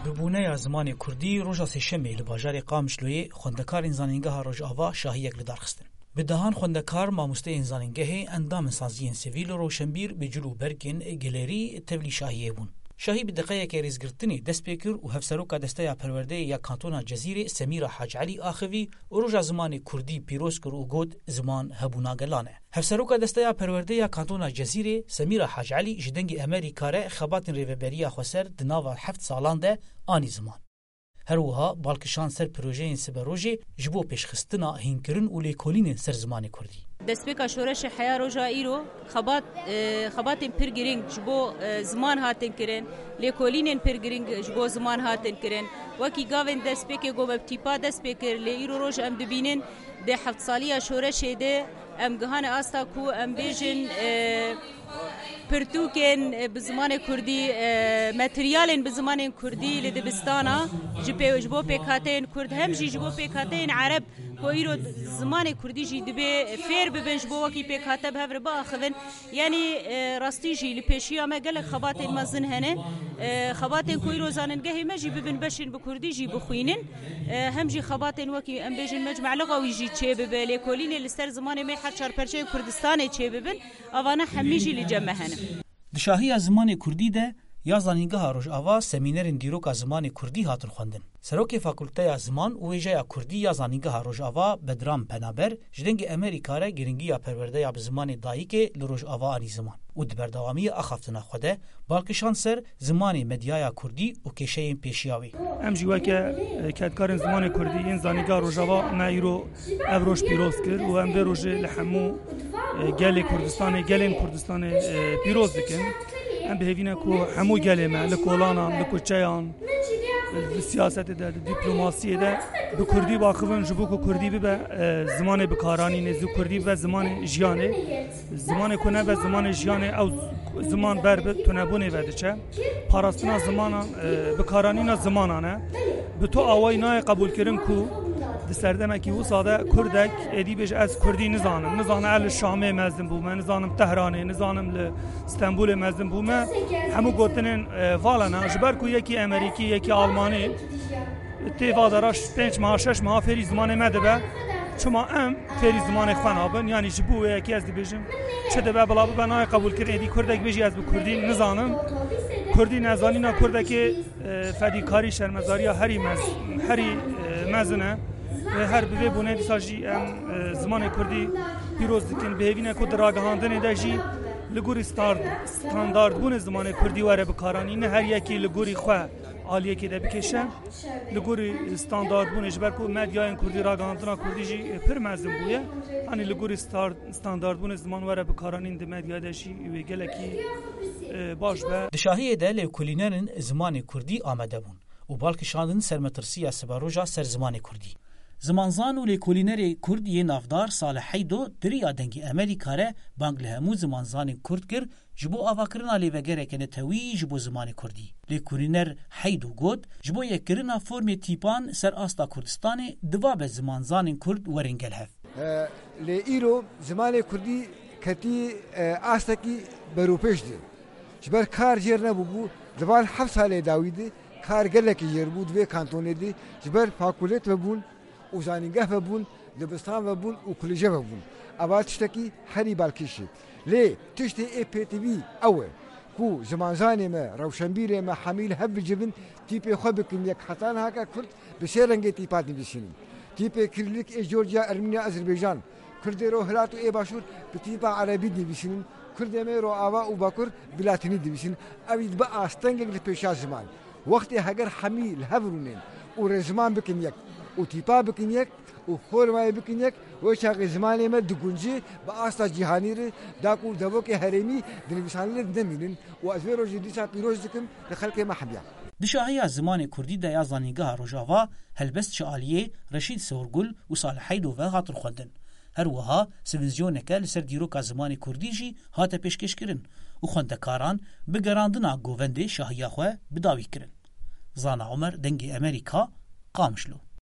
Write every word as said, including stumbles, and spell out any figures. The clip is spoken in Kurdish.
Bi bûneya zimanê kurdî, roja sêşemê li bajarê Qamişloyê xwendekarên Zanîngeha Rojava şahiyek li dar xistin. Bi dehan xwendekar, mamosteyên zanîngehê, endamên saziyên sivîl û rewşenbîr bi cil û bergên gelerî tevlî şahiyê bûn. Şahî bi deqeyeke rêzgirtinê dest pê kir û Hevseroka Desteya Perwerdeyê ya Kantona Cezîrê Semîra Hac Elî axivî û roja zimanê kurdî pîroz kir û got, ziman hebûna gelan e. Hevseroka Desteya Perwerdê ya Kantona Cezîrê Semîra Hac Elî ji Dengê Emerîka re xebatên Rêveberiya Xweser di nava heft salan de anî ziman. Her wiha bal kişand ser projeyên siberojê ji bo pêşxistina hînkirin û lêkolînên ser zimanê kurdî. Destpêka şoreşê heya roja îro, xebat, e, xebatên pir girîng ji bo, e, ziman hatin kirin, lêkolînên pir girîng ji bo ziman hatin kirin. Wekî gavên destpêkê ku me bi tîpa dest pê kir, lê îro roj em dibînin di heft saliya şoreşê de em gihane asta ku em bêjin, e, pirtûkên, e, bi zimanê kurdî, e, materyalên bi zimanên kurdî li dibistana ji pê, ji bo pêkhateyên kurd, hem jî ji bo pêkhateyên ereb ku îro zimanê kurdî jî dibê fêr bibin, ji bo wekî pêkhate bi hev re biaxivin. Yanî, e, rastî jî li pêşiya me gelek xebatên mezin hene. E, xebatên ku îro zanîngehê me jî bibin beşên bi kurdî jî bixwînin. E, hem jî xebatên wekî em bêjin mecmeliqa wî jî çêbibe, lêkolînê li ser zimanê me her çar perçeyên Kurdistanê çêbibin. Evana hemî jî li cem me hene. Di şahiya zimanê kurdî de ya Zanîngeha Rojava semînerên dîroka zimanê kurdî hatin xwendin. Serokê Fakulteya Ziman û Wêjeya Kurdî ya Zanîngeha Rojava Bedran Penaber ji Dengê Emerîka re girîngiya perwerdeya bi zimanê dayikê li Rojava anî ziman û di berdewamiyê axaftina xwe de bal kişand ser zimanê medyaya kurdî û kêşeyên pêşiya wê. Em jî weke, e, kedkarên zimanê kurdî yên Zanîngeha Rojava me îro ev roj pîroz kir û em vê rojê li hemû, e, gelê Kurdistanê, gelên Kurdistanê, e, pîroz dikin. Em bi hêvî ne ku hemû gelê me li kolanan, li kuçeyan, li siyasetê de, li dîplomasiyê de bi kurdî biaxivin, ji bo ku kurdî bibe, e, zimanê bikaranînê, ji kurdî bibe zimanê jiyanê. Zimanê ku nebe zimanê jiyanê, ew ziman ber bi tunebûnê ve diçe. Parastina zimanan, e, bikaranîna zimanan e. Bi tu awayî nayê qebûlkirin ku di serdemekî wisa de kurdek êdî bêje, ez kurdî nizanim. Nizanim ez li Şamê mezin bûme, nizanim Tehranê, nizanim li Stenbolê mezin bûme. Hemû gotinên, e, vala ne. Ji ber ku yekî Emerîkî, yekî Almanî, tê va de re pênc meha, şeş meha fêrî zimanê me dibe. Çima em fêrî zimanê xwe nabin? Yanî ji bo wê yekê ez dibêjim, çi dibe bila bibe, nayê qebûlkirin. Êdî kurdek bêjî, ez bi kurdî nizanim. Kurdî nezanîna kurdekê, e, fedîkarî, şermezariya herî mez-, herî, e, mezin e. E, her bi vê bûnê dîsa jî em, e, zimanê kurdî pîroz dikin. Bi hêvî ne ku di ragihandinê de jî li gorî star-, standardbûnê zimanê kurdî were bikaranîn. Ne her yekî li gorî xwe aliyekê de bikêşe. Li gorî standardbûnê, ji ber ku medyayên kurdî, ragihandina kurdî jî pir mezin bûye. Hanî li gorî star-, standardbûnê ziman were bikaranîn di medyayê de jî wê gelekî, e, baş be. Di şahiyê de lêkolînerên zimanê kurdî amade bûn û bal kişandin ser metirsiya siberoja ser zimanê kurdî. Zimanzan û lêkolînerê kurd yê navdar Salih Heydo di riya Dengê Emerîka re bang li hemû zimanzanên kurd kir, ji bo avakirina lêvegereke netewî ji bo zimanê kurdî. Lêkolîner Heydo got, ji bo yekkirina formê tîpan ser asta Kurdistanê divabe zimanzanên kurd werin gel hev. E, lê îro zimanê kurdî ketî, e, astekî beropêş de. Ji ber kar jêr nebûbû, di van heft salê dawî de kar gelekî jêr bû di vê kantonê de, ji ber fakulêt vebûn û zanîngeh vebûn, dibistan vebûn û kulîje vebûn. Eva tiştekî herî balkêş e. Lê tiştê ê pêtivî ew e ku zimanzanê me, rewşenbîrê me hemî li hev bicivin, tîpê xwe bikin yek. Heta niha ke kurd bi sê rengê tîpa dinivîsînin. Tîpê Kirîlik ê Georgia, Ermîniya, Azerbaycan, Kurdê Rohilat û ê Başûr bi tîpa erebî dinivîsînin. Kurdê me Roava û Bakur bi latînî dinivîsînin. Ev dibe astengek li pêşiya ziman. Wextê heger hemî li hev rûnên û rêziman bikin yek û tîpa bikin yek û formayê bikin yek, wê çaxê zimanê me diguncî bi asta cîhanî re, da ku devokê herêmî di nivîsanê de nemînin û ez vê rojê dîsa pîroz dikim li xelkê me hemiya. Di şahiya zimanê kurdî de ya Zanîngeha Rojava helbest ji aliyê Reşîd Sorgul û Salih Heydo ve hatin xwendin. Her wiha sivîzyoneke li ser dîroka zimanê kurdî jî hate pêşkêşkirin û xwendekaran bi gerandina govendê şahiya xwe bi dawî kirin. Zana Omer, Dengê Emerîka, Qamişlo.